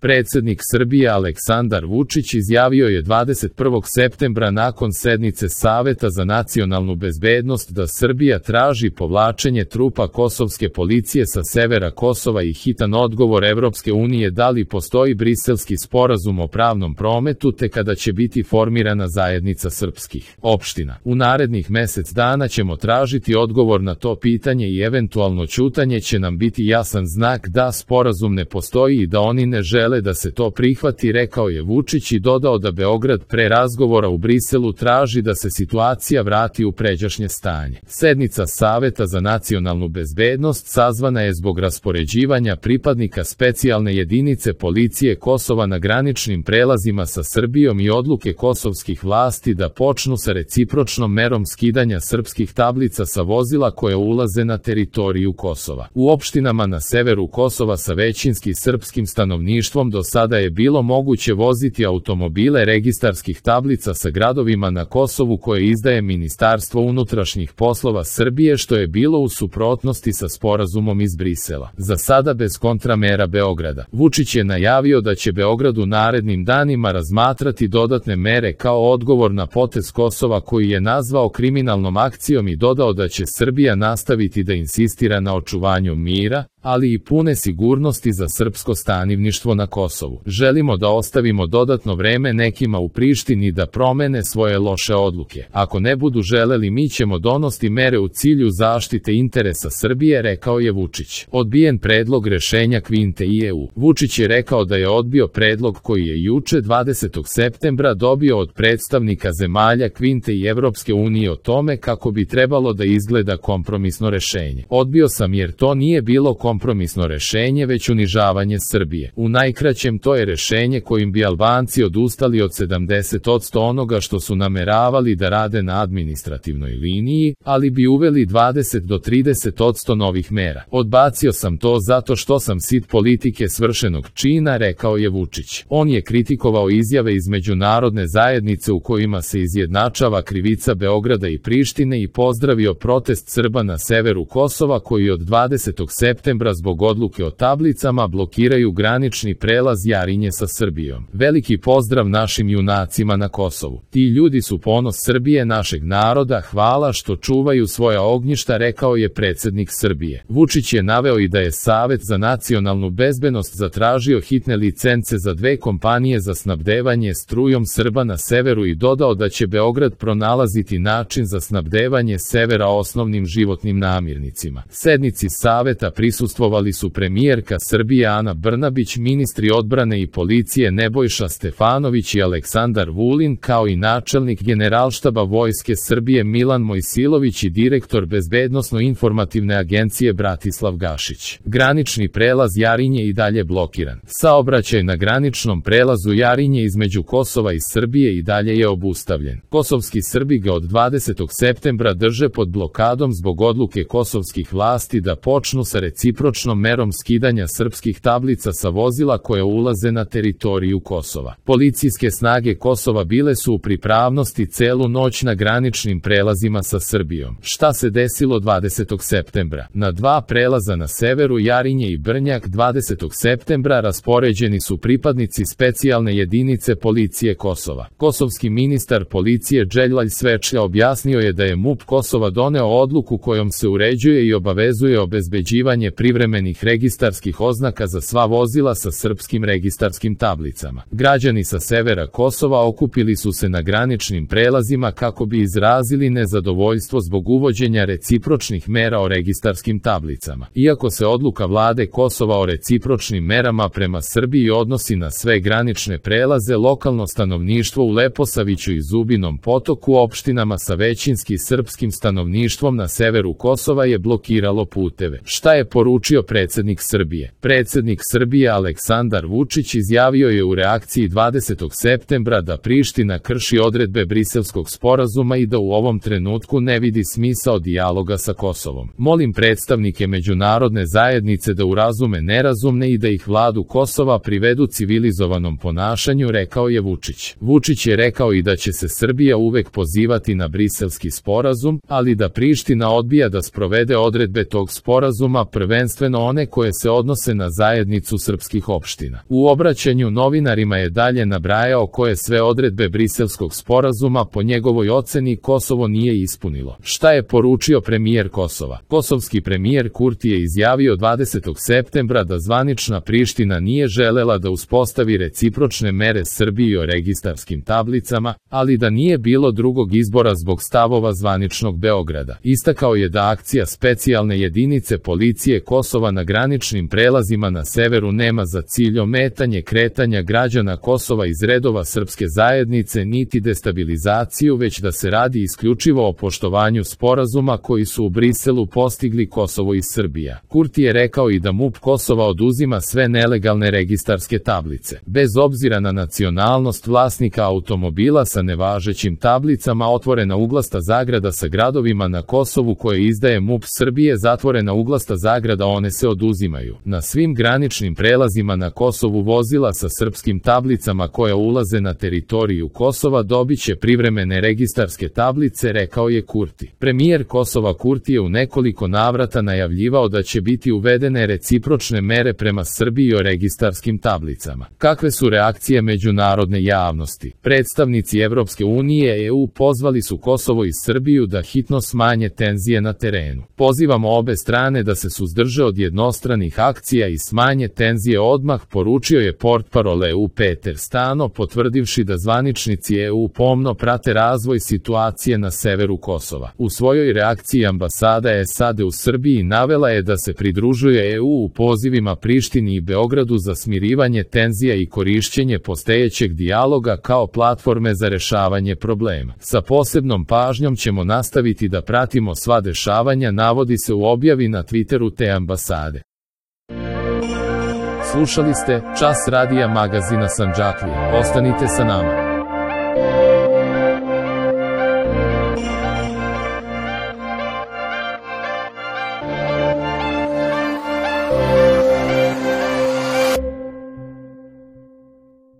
Predsjednik Srbije Aleksandar Vučić izjavio je 21. septembra nakon sednice Saveta za nacionalnu bezbednost da Srbija traži povlačenje trupa kosovske policije sa severa Kosova i hitan odgovor Evropske unije da li postoji Briselski sporazum o pravnom prometu te kada će biti formirana zajednica srpskih opština. U narednih mjesec dana ćemo tražiti odgovor na to pitanje i eventualno ćutanje će nam biti jasan znak da sporazum ne postoji i da oni ne žele da se to prihvati, rekao je Vučić i dodao da Beograd pre razgovora u Briselu traži da se situacija vrati u pređašnje stanje. Sednica Saveta za nacionalnu bezbednost sazvana je zbog raspoređivanja pripadnika specijalne jedinice policije Kosova na graničnim prelazima sa Srbijom i odluke kosovskih vlasti da počnu sa recipročnom merom skidanja srpskih tablica sa vozila koje ulaze na teritoriju Kosova. U opštinama na severu Kosova sa većinski srpskim stanovništvom do sada je bilo moguće voziti automobile registarskih tablica sa gradovima na Kosovu koje izdaje Ministarstvo unutrašnjih poslova Srbije, što je bilo u suprotnosti sa sporazumom iz Brisela. Za sada bez kontramera Beograda. Vučić je najavio da će Beograd u narednim danima razmatrati dodatne mere kao odgovor na potez Kosova koji je nazvao kriminalnom akcijom i dodao da će Srbija nastaviti da insistira na očuvanju mira, ali i pune sigurnosti za srpsko stanivništvo na Kosovu. Želimo da ostavimo dodatno vreme nekima u Prištini da promene svoje loše odluke. Ako ne budu želeli, mi ćemo donositi mere u cilju zaštite interesa Srbije, rekao je Vučić. Odbijen predlog rešenja Kvinte i EU. Vučić je rekao da je odbio predlog koji je juče 20. septembra dobio od predstavnika zemalja Kvinte i Evropske unije o tome kako bi trebalo da izgleda kompromisno rešenje. Odbio sam jer to nije bilo kompromisno rešenje već unižavanje Srbije. U najkraćem to je rešenje kojim bi Albanci odustali od 70% onoga što su nameravali da rade na administrativnoj liniji, ali bi uveli 20 do 30% novih mera. Odbacio sam to zato što sam sit politike svršenog čina, rekao je Vučić. On je kritikovao izjave iz međunarodne zajednice u kojima se izjednačava krivica Beograda i Prištine i pozdravio protest Srba na severu Kosova koji od 20. septembra zbog odluke o tablicama blokiraju granični prelaz Jarinje sa Srbijom. Veliki pozdrav našim junacima na Kosovu. Ti ljudi su ponos Srbije, našeg naroda, hvala što čuvaju svoja ognjišta, rekao je predsjednik Srbije. Vučić je naveo i da je Savet za nacionalnu bezbednost zatražio hitne licence za 2 kompanije za snabdevanje strujom Srba na severu i dodao da će Beograd pronalaziti način za snabdevanje severa osnovnim životnim namirnicima. Sednici Saveta prisustvovali su premijerka Srbije Ana Brnabić, ministri odbrane i policije Nebojša Stefanović i Aleksandar Vulin, kao i načelnik Generalštaba Vojske Srbije Milan Mojsilović i direktor Bezbednosno-informativne agencije Bratislav Gašić. Granični prelaz Jarinje i dalje blokiran. Saobraćaj na graničnom prelazu Jarinje između Kosova i Srbije i dalje je obustavljen. Kosovski Srbi ga od 20. septembra drže pod blokadom zbog odluke kosovskih vlasti da počnu sa recipročnom merom skidanja srpskih tablica sa vozila koje ulaze na teritoriju Kosova. Policijske snage Kosova bile su u pripravnosti celu noć na graničnim prelazima sa Srbijom. Šta se desilo 20. septembra? Na 2 prelaza na severu Jarinje i Brnjak 20. septembra raspoređeni su pripadnici specijalne jedinice policije Kosova. Kosovski ministar policije Đeljvalj Svečlja objasnio je da je MUP Kosova doneo odluku kojom se uređuje i obavezuje obezbeđivanje privremenih registarskih oznaka za sva vozila sa srpskim registarskim tablicama. Građani sa severa Kosova okupili su se na graničnim prelazima kako bi izrazili nezadovoljstvo zbog uvođenja recipročnih mera o registarskim tablicama. Iako se odluka vlade Kosova o recipročnim merama prema Srbiji odnosi na sve granične prelaze, lokalno stanovništvo u Leposaviću i Zubinom Potoku, opštinama sa većinski srpskim stanovništvom na severu Kosova, je blokiralo puteve. Šta je poručio predsjednik Srbije? Predsjednik Srbije Aleksandar Vučić izjavio je u reakciji 20. septembra da Priština krši odredbe Briselskog sporazuma i da u ovom trenutku ne vidi smisao dijaloga sa Kosovom. Molim predstavnike međunarodne zajednice da urazume nerazumne i da ih vladu Kosova privedu civilizovanom ponašanju, rekao je Vučić. Vučić je rekao i da će se Srbija uvek pozivati na Briselski sporazum, ali da Priština odbija da sprovede odredbe tog sporazuma, prvenstveno prvenstveno one koje se odnose na zajednicu srpskih opština. U obraćanju novinarima je dalje nabrajao koje sve odredbe Briselskog sporazuma po njegovoj oceni Kosovo nije ispunilo. Šta je poručio premijer Kosova? Kosovski premijer Kurti je izjavio 20. septembra da zvanična Priština nije želela da uspostavi recipročne mere Srbiji o registarskim tablicama, ali da nije bilo drugog izbora zbog stavova zvaničnog Beograda. Istakao je da akcija specijalne jedinice policije Kosova na graničnim prelazima na severu nema za cilj ometanje kretanja građana Kosova iz redova srpske zajednice niti destabilizaciju, već da se radi isključivo o poštovanju sporazuma koji su u Briselu postigli Kosovo i Srbija. Kurti je rekao i da MUP Kosova oduzima sve nelegalne registarske tablice. Bez obzira na nacionalnost vlasnika automobila sa nevažećim tablicama, otvorena uglasta zagrada sa gradovima na Kosovu koje izdaje MUP Srbije, zatvorena uglasta zagrada, one se oduzimaju. Na svim graničnim prelazima na Kosovu vozila sa srpskim tablicama koja ulaze na teritoriju Kosova dobiće privremene registarske tablice, rekao je Kurti. Premijer Kosova Kurti je u nekoliko navrata najavljivao da će biti uvedene recipročne mere prema Srbiji o registarskim tablicama. Kakve su reakcije međunarodne javnosti? Predstavnici Evropske unije i EU pozvali su Kosovo i Srbiju da hitno smanje tenzije na terenu. Pozivamo obe strane da se suzdrže od jednostranih akcija i smanje tenzije odmah, poručio je portparol EU Peter Stano, potvrdivši da zvaničnici EU pomno prate razvoj situacije na severu Kosova. U svojoj reakciji ambasada SAD u Srbiji navela je da se pridružuje EU u pozivima Prištini i Beogradu za smirivanje tenzija i korišćenje postojećeg dijaloga kao platforme za rešavanje problema. Sa posebnom pažnjom ćemo nastaviti da pratimo sva dešavanja, navodi se u objavi na Twitteru te ambasade. Slušali ste Čas radija magazina Sandžaklija. Ostanite sa nama.